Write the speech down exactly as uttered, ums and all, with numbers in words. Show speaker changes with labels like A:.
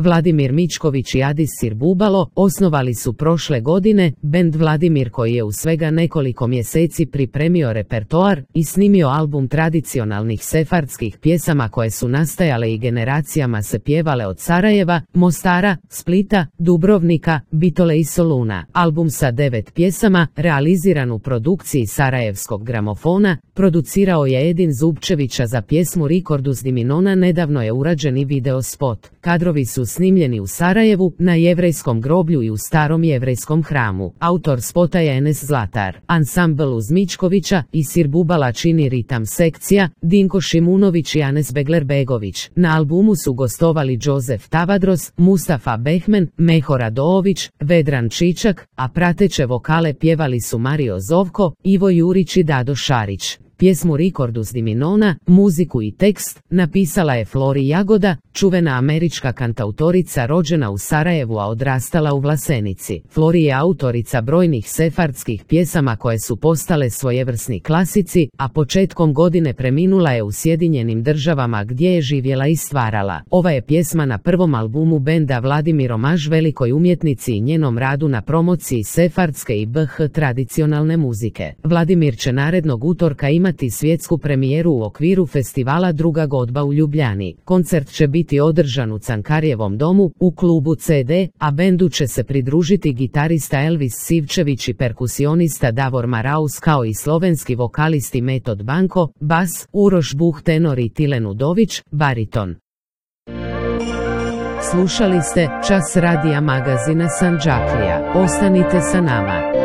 A: Vladimir Mičković i Adis Sirbubalo osnovali su prošle godine bend Vladimir koji je u svega nekoliko mjeseci pripremio repertoar i snimio album tradicionalnih sefardskih pjesama koje su nastajale i generacijama se pjevale od Sarajeva, Mostara, Splita, Dubrovnika, Bitole i Soluna. Album sa devet pjesama, realiziran u produkciji Sarajevskog gramofona, producirao je Edin Zubčevića za pjesmu Rikordus di Minona. Nedavno je urađen i video spot. Kadrovi su snimljeni u Sarajevu, na jevrejskom groblju i u starom jevrejskom hramu. Autor spota je Enes Zlatar. Ansambl uz Mičkovića i Sirbubala čini ritam sekcija, Dinko Šimunović i Anes Begler-Begović. Na albumu su gostovali Josef Tavadros, Mustafa Behmen, Meho Radović, Vedran Čičak, a prateće vokale pjevali su Mario Zovko, Ivo Jurić i Dado Šarić. Pjesmu Rikordus di Minona, muziku i tekst, napisala je Flori Jagoda, čuvena američka kantautorica rođena u Sarajevu a odrastala u Vlasenici. Flori je autorica brojnih sefardskih pjesama koje su postale svojevrsni klasici, a početkom godine preminula je u Sjedinjenim Državama gdje je živjela i stvarala. Ova je pjesma na prvom albumu benda Vladimir omaž velikoj umjetnici i njenom radu na promociji sefardske i B H tradicionalne muzike. Vladimir će narednog utorka imati svjetsku premijeru u okviru festivala Druga godba u Ljubljani. Koncert će biti održan u Cankarjevom domu, u klubu C D, a bendu će se pridružiti gitarista Elvis Sivčević i perkusionista Davor Maraus kao i slovenski vokalisti Metod Banko, bas, Uroš Buh tenor i Tilen Udović, bariton. Slušali ste Čas radija magazina Sandžaklija. Ostanite sa nama.